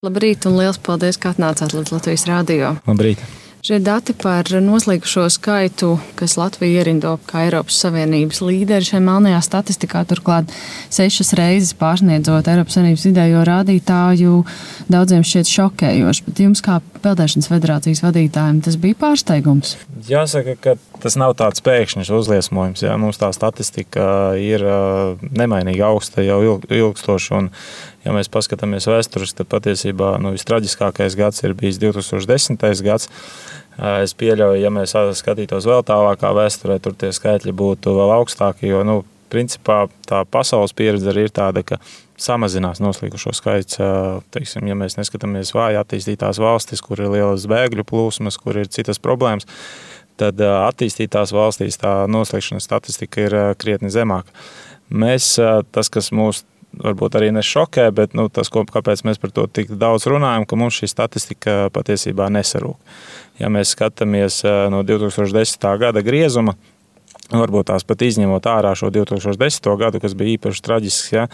Labrīt un liels paldies, ka atnācāt līdz Latvijas radio. Labrīt. Šie dati par noslīkušo skaitu, kas Latviju ierindo kā Eiropas Savienības līderi šajā melnajā statistikā, turklāt 6 reizes pārsniedzot Eiropas Savienības vidējo rādītāju, daudziem šķiet šokējoši. Bet jums kā Peldēšanas federācijas vadītājiem tas bija pārsteigums? Jāsaka, ka tas nav tāds pēkšņs uzliesmojums. Jā. Mums tā statistika ir nemainīgi augsta jau ilgstoši. Un, ja mēs paskatāmies vēsturiski, tad patiesībā vistraģiskākais gads ir bijis 2010. Gads. Es pieļauju, ja mēs skatītos vēl tālākā vēsturē, tur tie skaitļi būtu vēl augstāki, jo, principā tā pasaules pieredze arī ir tāda, ka samazinās noslīkušo skaits. Teiksim, ja mēs neskatāmies vāji attīstītās valstis, kur ir lielas bēgļu plūsmas, kur ir citas problēmas, tad attīstītās valstīs tā noslīkšanas statistika ir krietni zemāka. Tas, kas mūs varbūt arī nešokē, bet tas, kāpēc mēs par to tik daudz runājam, ka mums šī statistika patiesībā nesarūk. Ja mēs skatāmies no 2010. Gada griezuma, varbūt tās pat izņemot ārā šo 2010. Gadu, kas bija īpaši traģisks, ja,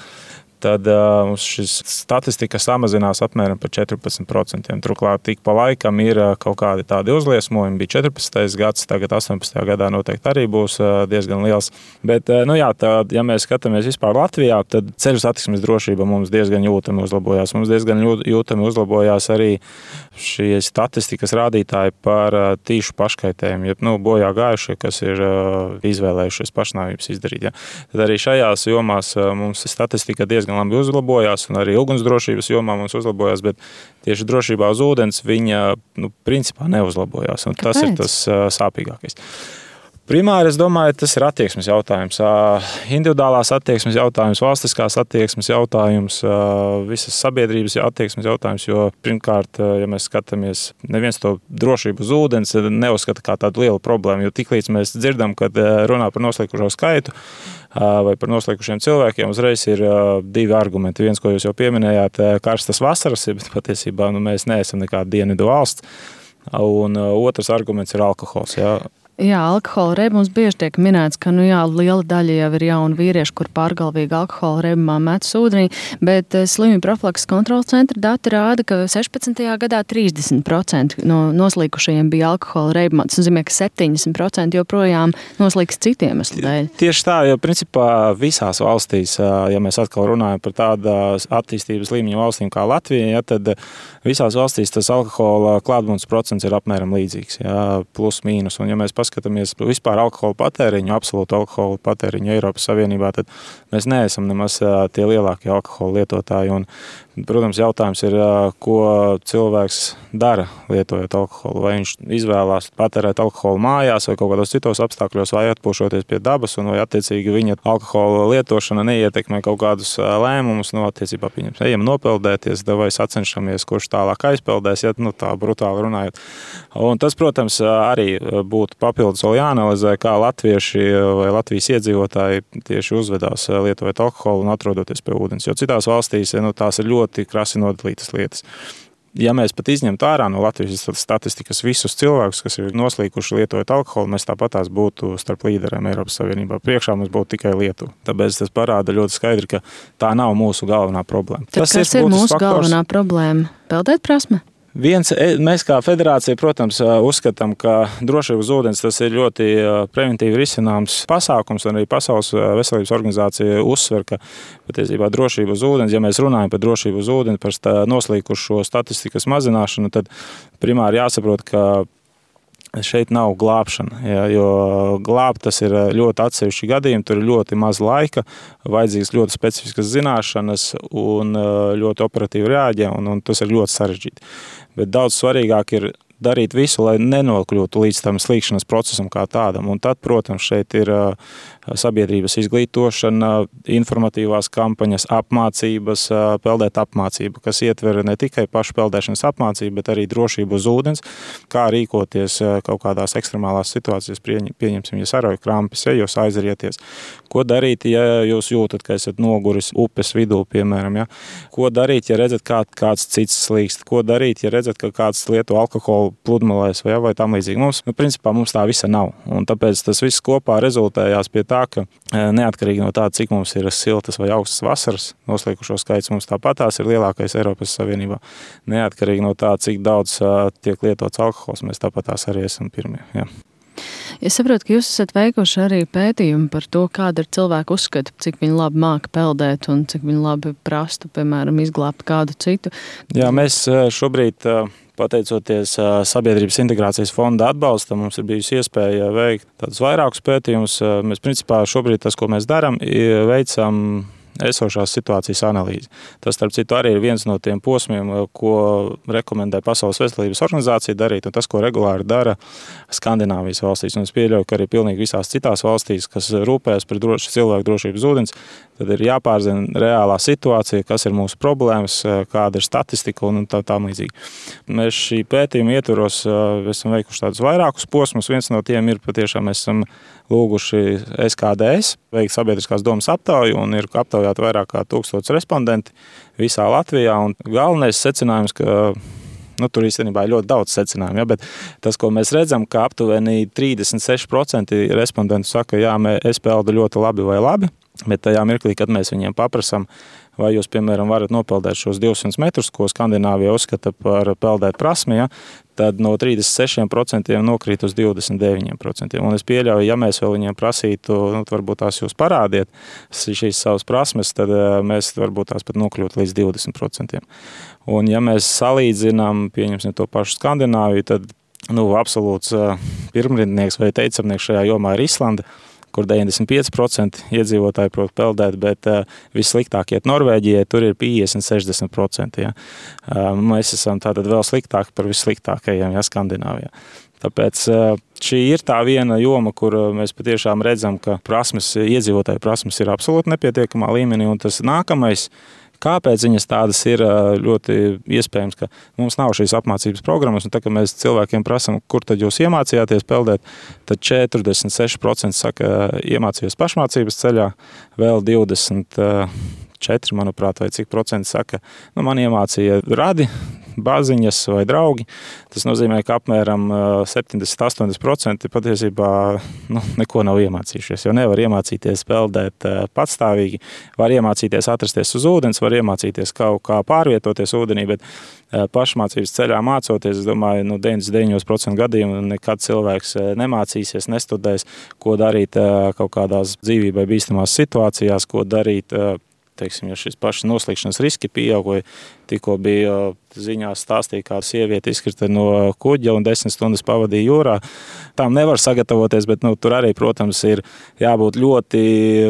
tad mums šis statistika samazinās apmēram par 14%. Turklāt tik pa laikam ir kaut kādi tādi uzliesmojumi. Bija 14. gads, tagad 18. gadā noteikti arī būs diezgan liels. Bet, ja mēs skatāmies vispār Latvijā, tad ceļu satiksmes drošība mums diezgan jūtami uzlabojās. Mums diezgan jūtami uzlabojās arī šie statistikas rādītāji par tīšu paškaitējumu, jeb bojā gājušie, kas ir izvēlējušies pašnāvības izdarīt. Ja. Tad arī šajās jomās mums statistika diezgan labi uzlabojās, un arī ugunsdrošības jomā mums uzlabojās, bet tieši drošībā uz ūdens viņa principā neuzlabojās. Un tas ir tas sāpīgākais. Primāri, es domāju, tas ir attieksmes jautājums. Individuālās attieksmes jautājums, valstiskās attieksmes jautājums, visas sabiedrības attieksmes jautājums, jo pirmkārt, ja mēs skatāmies, neviens to drošību uz ūdens neuzskata kā tādu lielu problēmu, jo tiklīdz mēs dzirdam, kad runā par noslīkušo skaitu vai par noslīkušiem cilvēkiem, uzreiz ir 2 argumenti. Viens, ko jūs jau pieminējāt, karstas vasaras, bet patiesībā mēs neesam nekāda dienvidu valsts. Un otrs arguments ir alkohols. Jā. Jā, alkohola reibums mums bieži tiek minēts, ka liela daļa jau ir jauni vīrieši, kur pārgalvīgi alkohola reibumā metas ūdenī, bet slimību profilakses kontroles centra dati rāda, ka 16. gadā 30% no noslīkušajiem bija alkohola reibumā. Tas nozīmē, ka 70% joprojām noslīks citiem iemeslu dēļ. Tieši tā, jo principā visās valstīs, ja mēs atkal runājam par tādas attīstības līmeņa valstīm kā Latvija, ja, tad visās valstīs tas alkohola klātbūtnes procents ir apmēram līdzīgs, ja, plus mīnus. Un ja mēs paskatāmies vispār alkohola patēriņu, absolūtu alkohola patēriņu Eiropas Savienībā, tad mēs neesam nemaz tie lielākie alkohola lietotāji. Un, protams, jautājums ir, ko cilvēks dara lietojot alkoholu. Vai viņš izvēlās patērēt alkoholu mājās vai kaut kādos citos apstākļos, vai atpūšoties pie dabas, un vai attiecīgi viņa alkohola lietošana neietekmē kaut kādus lēmumus, attiecībā pieņems. Ejam nopeldēties, vai sacenšamies, kurš tālāk aizpeldēs, ja tā brutāli runājot. Un tas, protams, arī būtu papildus vēl jāanalizē, kā latvieši vai Latvijas iedzīvotāji tieši uzvedās lietojot alkoholu un atrodoties pie ūdens. Jo citās valstīs tās ir ļoti krasi nodalītas lietas. Ja mēs pat izņemtu ārā no Latvijas statistikas visus cilvēkus, kas ir noslīkuši lietojot alkoholu, mēs tāpatās būtu starp līderiem Eiropas Savienībā. Priekšā mums būtu tikai Lietuva. Tāpēc tas parāda ļoti skaidri, ka tā nav mūsu galvenā problēma. Tad kas ir mūsu galvenā problēma? Peldēt prasme? Mēs kā federācija, protams, uzskatām, ka drošība uz ūdens tas ir ļoti preventīvi risināms pasākums, un arī Pasaules veselības organizācija uzsver, ka patiesībā drošība uz ūdens, ja mēs runājam par drošību uz ūdens, par noslīkušo statistikas mazināšanu, tad primāri jāsaprot, ka šeit nav glābšana, jo glābt tas ir ļoti atsevišķi gadījumi, tur ir ļoti maz laika, vajadzīgas ļoti specifiskas zināšanas un ļoti operatīvi reaģē, un tas ir ļoti sarežģīti. Bet daudz svarīgāk ir darīt visu, lai nenokļūtu līdz tam slīkšanas procesam kā tādam. Un tad, protams, šeit ir sabiedrības izglītošana, informatīvās kampaņas, apmācības, peldēt apmācība, kas ietver ne tikai pašu peldēšanas apmācību, bet arī drošību uz ūdens, kā rīkoties kaut kādās ekstremālās situācijās, pieņemsim, ja sarauj krampis, ja jūs aizrieties. Ko darīt, ja jūs jūtat, ka esat noguris upes vidū, piemēram, ja? Ko darīt, ja redzat, kāds cits slīkst? Ko darīt, ja redzat, ka kāds lieto alkoholu pludmalēs vai tam līdzīgi. Principā mums tā visa nav. Un tāpēc tas viss kopā rezultējās pie tā, ka neatkarīgi no tā, cik mums ir siltas vai augstas vasaras, noslīkušo skaits mums tāpatās ir lielākais Eiropas Savienībā. Neatkarīgi no tā, cik daudz tiek lietots alkohols, mēs tāpatās arī esam pirmie. Jā. Es saprotu, ka jūs esat veikuši arī pētījumu par to, kāda ir cilvēku uzskata, cik viņi labi māka peldēt un cik viņi labi prastu, piemēram, izglābt kādu citu. Jā, mēs šobrīd, pateicoties Sabiedrības integrācijas fonda atbalstam, mums ir bijusi iespēja veikt tādus vairākus pētījumus. Mēs principā šobrīd tas, ko mēs darām, veicam esošās situācijas analīzi. Tas, starp citu, arī ir viens no tiem posmiem, ko rekomendē Pasaules veselības organizācija darīt, un tas, ko regulāri dara Skandināvijas valstīs. Un es pieļauju, ka arī pilnīgi visās citās valstīs, kas rūpējas par cilvēku drošību uz ūdens, tad ir jāpārzina reālā situācija, kas ir mūsu problēmas, kāda ir statistika un tam līdzīgi. Mēs šī pētījuma ietvaros esam veikuši tādus vairākus posmus. Viens no tiem ir patiešām mēs esam lūguši SKDS veikt sabiedriskās domas aptauju un ir aptaujāti vairāk kā 1000 respondenti visā Latvijā. Un galvenais secinājums, ka tur īstenībā ir ļoti daudz secinājumu, ja, bet tas, ko mēs redzam, ka aptuveni 36% respondentu saka, jā, es peldu ļoti labi, bet tajā mirklī, kad mēs viņiem paprasam, vai jūs, piemēram, varat nopeldēt šos 200 metrus, ko Skandināvija uzskata par peldēt prasmi, ja, tad no 36% nokrīt uz 29%. Un es pieļauju, ja mēs vēl viņiem prasītu, varbūt tās jūs parādiet šīs savas prasmes, tad mēs varbūt tās pat nokļūt līdz 20%. Un ja mēs salīdzinām, pieņemsim to pašu Skandināviju, tad absolūts pirmrindnieks vai teicamnieks šajā jomā ir Islanda, kur 95% iedzīvotāji prot peldēt, bet vissliktāk iet Norvēģijai, tur ir 50-60%. Ja. Mēs esam tātad vēl sliktāki par vissliktākajiem, ja, Skandināvijā. Tāpēc šī ir tā viena joma, kur mēs patiešām redzam, ka iedzīvotāju prasmes ir absolūti nepietiekamā līmenī, un tas nākamais, kāpēc viņas tādas ir, ļoti iespējams, ka mums nav šīs apmācības programmas, un tā, ka mēs cilvēkiem prasam, kur tad jūs iemācījāties peldēt, tad 46% saka, iemācījos pašmācības ceļā, vēl 24, manuprāt, vai cik procenti saka, man iemācīja radi, bāziņas vai draugi. Tas nozīmē, ka apmēram 70-80% patiesībā neko nav iemācījušies, jo nevar iemācīties peldēt patstāvīgi, var iemācīties atrasties uz ūdens, var iemācīties kaut kā pārvietoties ūdenī, bet pašmācības ceļā mācoties, es domāju, 99% gadījumu nekad cilvēks nemācīsies, nestudēs, ko darīt kaut kādās dzīvībai bīstamās situācijās, ko darīt, teiksim, ja šis pašas noslīkšanas riski pieauga, tikko bija ziņās stāstīja, kā sieviete izkrita no kuģa un 10 stundas pavadīja jūrā. Tām nevar sagatavoties, bet tur arī, protams, ir jābūt ļoti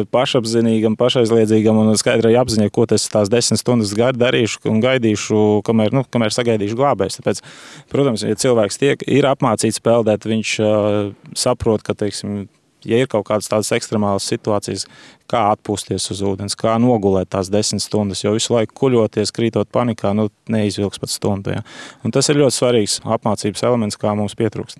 pašapzinīgam, pašaizliedzīgam un skaidrai apziņai, ko es tās 10 stundas darīšu un gaidīšu, kamēr sagaidīšu glābējs. Tāpēc, protams, ja cilvēks ir apmācīts peldēt, viņš saprot, ka, teiksim, ja ir kaut kādas tādas ekstremālas situācijas, kā atpūsties uz ūdens, kā nogulēt tās 10 stundas, jo visu laiku kuļoties, krītot panikā, neizvilks pat stundu. Ja. Un tas ir ļoti svarīgs apmācības elements, kā mums pietrūkst.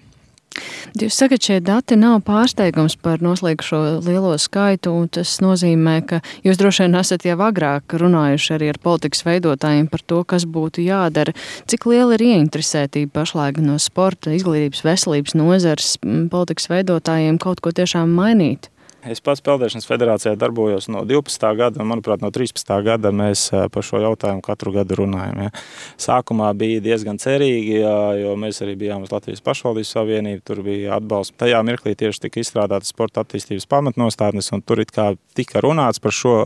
Jūs sakat, šie dati nav pārsteigums par noslīkušo lielo skaitu, un tas nozīmē, ka jūs droši vien esat jau agrāk runājuši arī ar politikas veidotājiem par to, kas būtu jādara. Cik liela ir ieinteresētība pašlaik no sporta, izglītības, veselības nozares politikas veidotājiem kaut ko tiešām mainīt? Es pats Peldēšanas federācijā darbojos no 12. gada, un, manuprāt, no 13. gada mēs par šo jautājumu katru gadu runājam. Ja. Sākumā bija diezgan cerīgi, jo mēs arī bijām uz Latvijas pašvaldības savienību, tur bija atbalsts. Tajā mirklī tieši tika izstrādātas sporta attīstības pamatnostādnes, un tur it kā tika runāts par šo.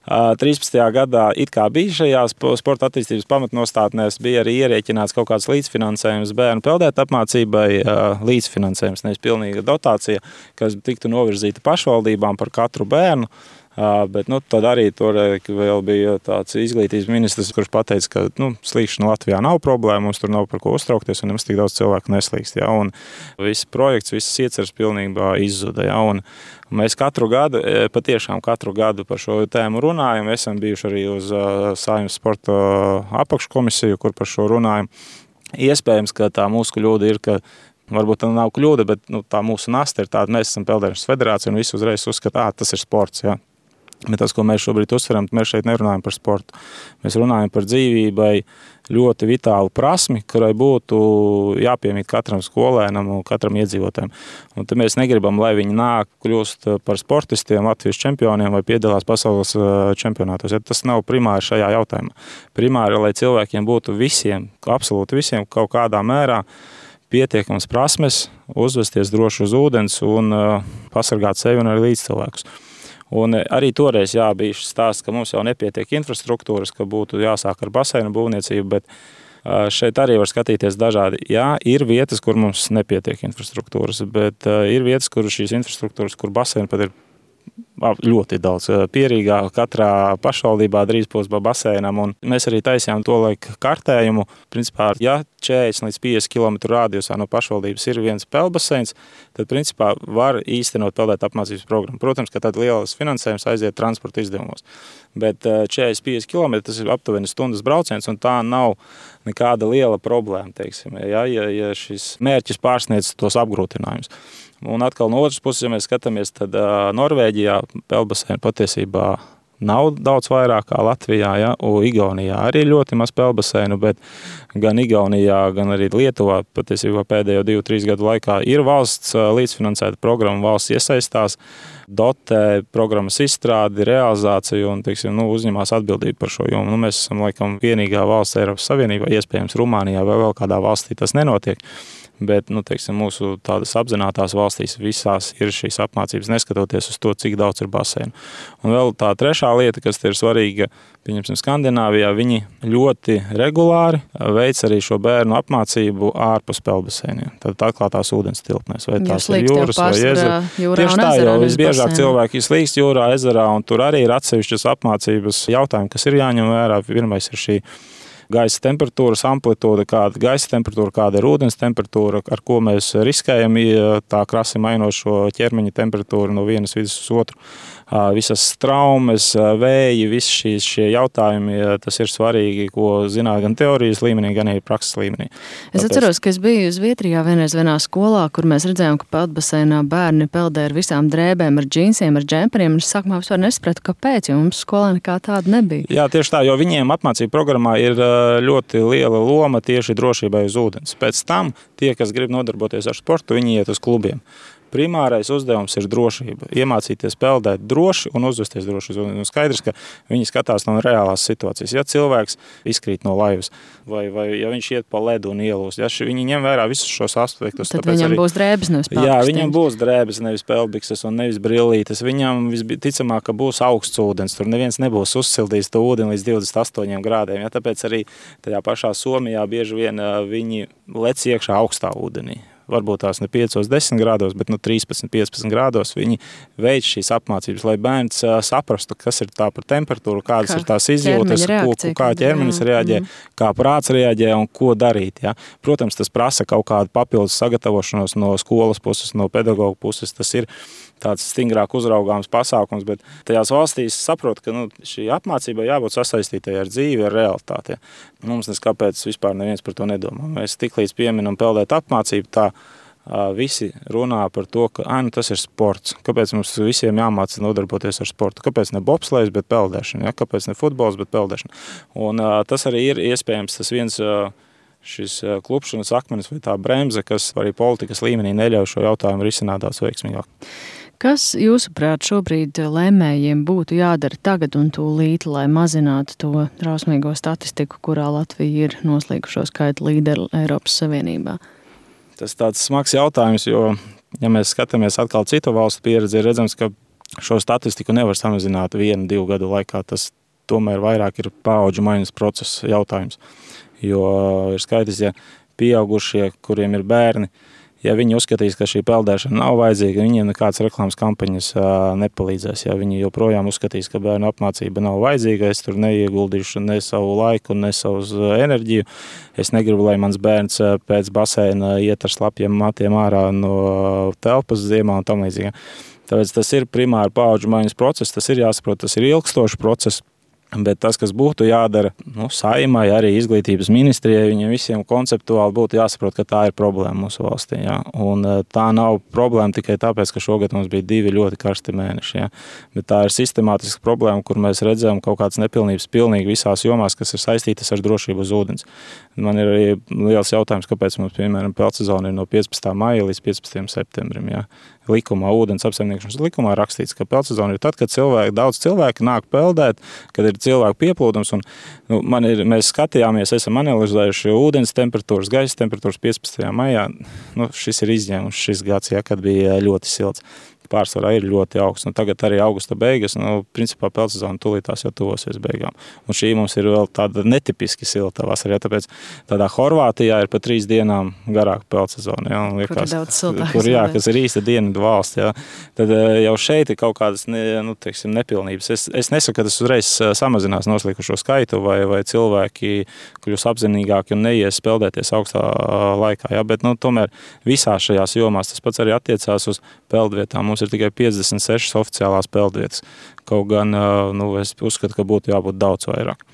13. gadā it kā bija šajās sporta attīstības pamatnostādnēs, bija arī ierēķināts kaut kāds līdzfinansējums bērnu peldēt apmācībai, līdzfinansējums, nevis pilnīga dotācija, kas tiktu novirzīta pašvaldībām par katru bērnu. Bet tad arī tur vēl bija tāds izglītības ministrs, kurš pateica, ka slīkšana Latvijā nav problēma, mums tur nav par ko uztraukties un nemaz tik daudz cilvēku neslīkst. Ja, un viss projekts, visas ieceres pilnībā izzuda. Ja, un mēs patiešām katru gadu par šo tēmu runājam. Esam bijuši arī uz Saeimas sporta apakškomisiju, kur par šo runājam. Iespējams, ka tā mūsu kļūda ir, ka varbūt tā nav kļūda, bet tā mūsu nasta ir tāda, mēs esam Peldēšanas federācija un visi uzreiz uzskata, tas ir sports. Ja. Bet tas, ko mēs šobrīd uzsveram, mēs šeit nerunājam par sportu. Mēs runājam par dzīvībai ļoti vitālu prasmi, kurai būtu jāpiemīt katram skolēnam un katram iedzīvotājam. Un tad mēs negribam, lai viņi nāk, kļūst par sportistiem, Latvijas čempioniem vai piedalās pasaules čempionātos. Ja tas nav primāri šajā jautājumā. Primāri, lai cilvēkiem būtu visiem, absolūti visiem, kaut kādā mērā pietiekams prasmes, uzvesties droši uz ūdens un pasargāt sevi un arī līdzcilvēkus. Un arī toreiz bija šis stāsts, ka mums jau nepietiek infrastruktūras, ka būtu jāsāk ar baseinu būvniecību, bet šeit arī var skatīties dažādi. Jā, ir vietas, kur mums nepietiek infrastruktūras, bet ir vietas, kur šīs infrastruktūras, kur baseini pat ir ļoti daudz. Pierīgā katrā pašvaldībā drīz būs baseinam, un mēs arī taisījām to laiku kartējumu. Principā, ja 40 līdz 50 km rādījusā no pašvaldības ir viens peldbaseins, tad principā var īstenot peldēt apmācības programmu. Protams, ka tad lielas finansējums aiziet transporta izdevumos. Bet 40-50 km tas ir aptuveni stundas brauciens, un tā nav nekāda liela problēma, teiksim, ja šis mērķis pārsniedz tos apgrūtinājumus. Un atkal no otras puses, ja mēs skatāmies, tad Norvēģijā peldbaseinu patiesībā nav daudz vairāk kā Latvijā, ja? Un Igaunijā arī ļoti maz peldbaseinu, bet gan Igaunijā, gan arī Lietuvā patiesībā pēdējo 2-3 gadu laikā ir valsts līdzfinansēta programma, valsts iesaistās, dotē programmas izstrādi, realizāciju un, teiksim, uzņemās atbildību par šo jomu. Mēs esam laikam vienīgā valsts Eiropas Savienībā, iespējams Rumānijā vai vēl kādā valstī tas nenotiek. Bet, teiksim, mūsu tādas apzinātās valstīs visās ir šīs apmācības, neskatoties uz to, cik daudz ir baseinu. Un vēl tā trešā lieta, kas ir svarīga, pieņemsim, Skandināvijā, viņi ļoti regulāri veic arī šo bērnu apmācību ārpus peldbaseiniem. Tad atklātās ūdens tilpnēs, vai tās ir jūras vai ezera. Tieši tā, jo visbiežāk cilvēki slīkst jūrā, ezerā, un tur arī ir atsevišķas apmācības jautājumi, kas ir jāņem vērā. Pirmais ir šī gaisa temperatūras amplitūda, kāda gaisa temperatūra, kāda ir ūdens temperatūra, ar ko mēs riskējam, tā krasi mainot šo ķermeņa temperatūru no vienas vidas uz otru. Visas traumas, vēji, visi šie jautājumi, tas ir svarīgi, ko zināt gan teorijas līmenī, gan arī prakses līmenī. Es atceros, ka es biju Zviedrijā vienā skolā, kur mēs redzējām, ka peldbaseinā bērni peldē ar visām drēbēm, ar džinsiem, ar džemperiem, un es sākumā vispār nesapratu, kāpēc, jo mums skolā nekā tāda nebija. Jā, tieši tā, jo viņiem apmācību programmā ir ļoti liela loma tieši drošībai uz ūdens. Pēc tam tie, kas grib nodarboties ar sportu, viņi iet uz klubiem. Primārais uzdevums ir drošība. Iemācīties peldēt droši un uzvesties droši. Un skaidrs, ka viņi skatās no reālās situācijas. Ja cilvēks izkrīt no laivas vai ja viņš iet pa ledu un ielūst, ja viņi ņem vērā visus šos aspektus. Tad viņam būs drēbes, nevis peldbikses. Jā, viņam būs drēbes, nevis peldbikses un nevis brillītes. Viņam visticamāk, ka būs augsts ūdens. Tur neviens nebūs uzsildījis to ūdeni līdz 28 grādiem. Ja? Tāpēc arī tajā pašā Somijā bieži vien viņi lec iekšā augstā ūdenī. Varbūt tās ne 5-10 grādos, bet 13-15 grādos viņi veic šīs apmācības, lai bērns saprastu, kas ir tā par temperatūru, kādas ir tās izjūtas, kā ķermenis reaģē, kā prāts reaģē un ko darīt. Ja? Protams, tas prasa kaut kādu papildus sagatavošanos no skolas puses, no pedagoga puses. Tas ir tāds stingrāk uzraugāms pasākums, bet tajās valstīs saprot, ka šī apmācība jābūt sasaistītai ar dzīvi, ar realitāti. Ja? Mums neskāpēc vispār neviens par to nedomā. Mēs tiklīdz pieminam peldēt apmācību, tā visi runā par to, ka tas ir sports. Kāpēc mums visiem jāmāca nodarboties ar sportu? Kāpēc ne bobslejs, bet peldēšana? Ja? Kāpēc ne futbols, bet peldēšana? Un tas arī ir iespējams tas viens šis klupšanas akmenis vai tā bremze, kas arī politikas līmenī neļauj šo jautājumu risināt daudz veiksmīgāk. Kas, jūsuprāt, šobrīd lēmējiem būtu jādara tagad un tūlīt, lai mazinātu to drausmīgo statistiku, kurā Latvija ir noslīkušo skaitu līderi Eiropas Savienībā? Tas tāds smags jautājums, jo, ja mēs skatāmies atkal citu valstu pieredzi, ir redzams, ka šo statistiku nevar samazināt 1-2 gadu laikā. Tas tomēr vairāk ir paudžu maiņas process jautājums. Jo ir skaidrs, ja pieaugušie, kuriem ir bērni, ja viņi uzskatīs, ka šī peldēšana nav vajadzīga, viņiem nekādas reklāmas kampaņas nepalīdzēs. Ja viņi joprojām uzskatīs, ka bērnu apmācība nav vajadzīga, es tur neieguldīšu ne savu laiku, ne savu enerģiju. Es negribu, lai mans bērns pēc baseina iet ar slapjiem matiem ārā no telpas ziemā un tam līdzīgi. Tāpēc tas ir primāri paudžu maiņas process, tas ir jāsaprot, tas ir ilgstošs process. Bet tas, kas būtu jādara, Saeimai, arī izglītības ministrijai, viņiem visiem konceptuāli būtu jāsaprot, ka tā ir problēma mūsu valstī. Ja? Un tā nav problēma tikai tāpēc, ka šogad mums bija 2 ļoti karsti mēneši. Ja? Bet tā ir sistemātiska problēma, kur mēs redzam kaut kādas nepilnības pilnīgi visās jomās, kas ir saistītas ar drošību uz ūdens. Man ir arī liels jautājums, kāpēc mums, piemēram, peldsezona ir no 15. maija līdz 15. septembrim. Ja? Likumā, ūdens apsaimniekošanas likumā rakstīts, ka peldsezona ir tad, kad daudz cilvēku nāk peldēt, kad ir cilvēku pieplūdums. Un, mēs skatījāmies, esam analizējuši ūdens temperatūras, gaisa temperatūras 15. maijā. Šis ir izņēmums šis gads, ja, kad bija ļoti silts. Pārsvarā ir ļoti augsts. Tagad arī augusta beigas, principā peldsezona tūlītās jau tuvosies beigām. Un šī mums ir vēl tāda netipiski silta vasara, tāpēc tādā Horvātijā ir pa 3 dienām garāka peldsezona. Ja, kur ir daudz siltāks. Kas ir īsta dienvidu valsts. Ja. Tad jau šeit ir kaut kādas nepilnības. Es nesaku, ka tas uzreiz samazinās noslīkušo skaitu vai cilvēki kļūs apzinīgāki un neies peldēties augstā laikā. Ja. Bet tomēr visās šajās jomās tas pats arī attiecās uz peldvietām. Mums ir tikai 56 oficiālās peldvietas. Kaut gan es uzskatu, ka būtu jābūt daudz vairāk.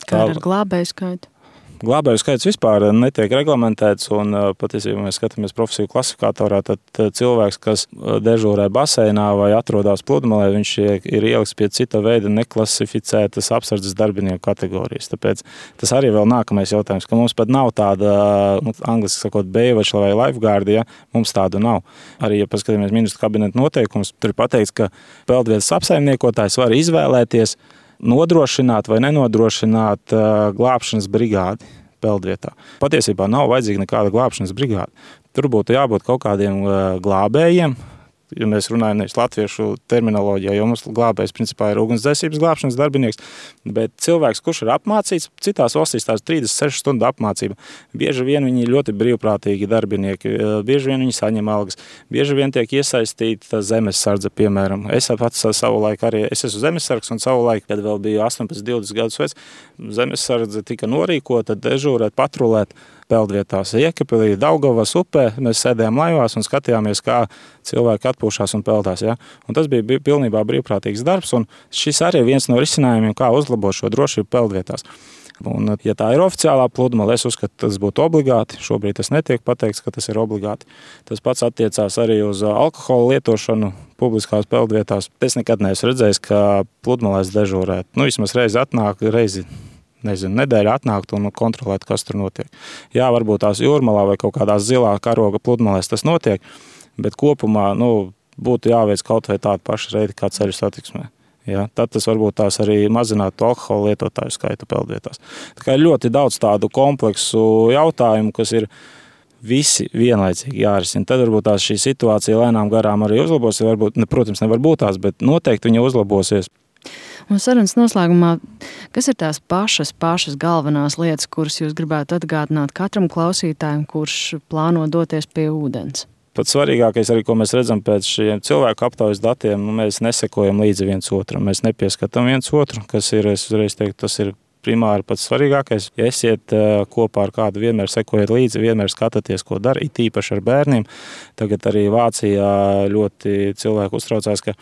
Kā ar glābēju skaitu? Glābēju skaits vispār netiek reglamentēts, un patiesībā mēs skatāmies profesiju klasifikatorā, tad cilvēks, kas dežūrē baseinā vai atrodas pludmalē, viņš ir ielikts pie cita veida neklasificētas apsardzes darbinieku kategorijas. Tāpēc tas arī vēl nākamais jautājums, ka mums pat nav tāda, angliski sakot, Baywatch vai lifeguardi, ja, mums tādu nav. Arī, ja paskatāmies ministru kabineta noteikumus, tur ir pateikts, ka peldvietas apsaimniekotājs var izvēlēties nodrošināt vai nenodrošināt glābšanas brigādi peldvietā. Patiesībā nav vajadzīga nekāda glābšanas brigāde. Tur būtu jābūt kaut kādiem glābējiem, ja mēs runājam nevis latviešu terminoloģijā, jo mums glābējs principā ir ugunsdzēsības glābšanas darbinieks, bet cilvēks, kurš ir apmācīts, citās valstīs tās 36 stundu apmācība. Bieži vien viņi ir ļoti brīvprātīgi darbinieki, bieži vien viņi saņem algas, bieži vien tiek iesaistīta zemessardze, piemēram. Es pats savulaik arī, es esmu zemessargs un savulaik, kad vēl biju 18-20 gadus vec, zemessardze tika norīkota, dežūrēt, patrulēt peldvietās Iekapilī, Daugavas upē. Mēs sēdējām laivās un skatījāmies, kā cilvēki atpūšās un peldās. Ja? Un tas bija pilnībā brīvprātīgs darbs, un šis arī ir viens no risinājumiem, kā uzlabot šo drošību peldvietās. Un, ja tā ir oficiālā pludmale, es uzskatu, tas būtu obligāti. Šobrīd tas netiek pateikts, ka tas ir obligāti. Tas pats attiecās arī uz alkohola lietošanu publiskās peldvietās. Es nekad neesmu redzējis, ka pludmalēs dežūrēt. Vismaz reizi nedēļa atnākt un kontrolēt, kas tur notiek. Jā, varbūt tās Jūrmalā vai kaut kādās zilā karoga pludmalēs tas notiek, bet kopumā būtu jāveic kaut vai tāda paša reida kā ceļu satiksmē. Ja, tad tas varbūt tās arī mazinātu alkohola lietotāju skaitu peldvietās. Tā kā ir ļoti daudz tādu kompleksu jautājumu, kas ir visi vienlaicīgi jārisina. Tad varbūt tās šī situācija lēnām garām arī uzlabosies. Varbūt, protams, nevar būt tās, bet noteikti viņa uzlabosies. Un sarunas noslēgumā, kas ir tās pašas galvenās lietas, kuras jūs gribētu atgādināt katram klausītājam, kurš plāno doties pie ūdens? Pats svarīgākais arī, ko mēs redzam pēc šiem cilvēku aptaujas datiem, mēs nesekojam līdzi viens otram, mēs nepieskatām viens otru, kas ir, es uzreiz teiktu, tas ir primāri pats svarīgākais. Ja esiet kopā ar kādu, vienmēr sekojiet līdzi, vienmēr skatāties, ko dara, it īpaši ar bērniem. Tagad arī Vācijā ļoti cilvēki uztraucās, ka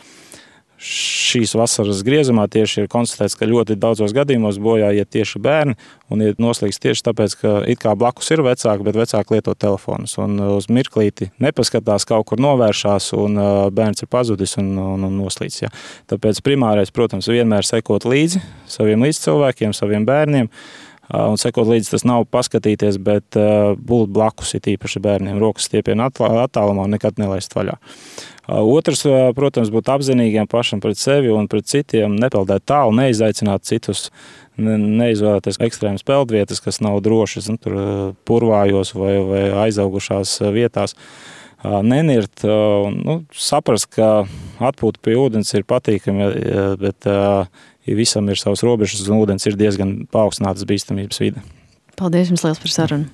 šīs vasaras griezumā tieši ir konstatēts, ka ļoti daudzos gadījumos bojā iet tieši bērni un iet noslīgs tieši tāpēc, ka it kā blakus ir vecāki, bet vecāki lieto telefonus un uz mirklīti nepaskatās, kaut kur novēršās un bērns ir pazudis un noslīgs. Ja. Tāpēc primārais, protams, vienmēr sekot līdzi saviem līdzcilvēkiem, saviem bērniem. Un sekot līdzi tas nav paskatīties, bet būt blakus ir īpaši bērniem. Rokas stiepienu attālumā un nekad nelaist vaļā. Otrs, protams, būt apzinīgiem pašam pret sevi un pret citiem, nepeldēt tālu, neizaicināt citus, neizvēlēties ekstrēmas peldvietas, kas nav drošas, tur purvājos vai aizaugušās vietās. Nenirt, saprast, ka atpūta pie ūdens ir patīkami, bet visam ir savas robežas un ūdens ir diezgan paaugstinātas bīstamības vide. Paldies jums liels par sarunu!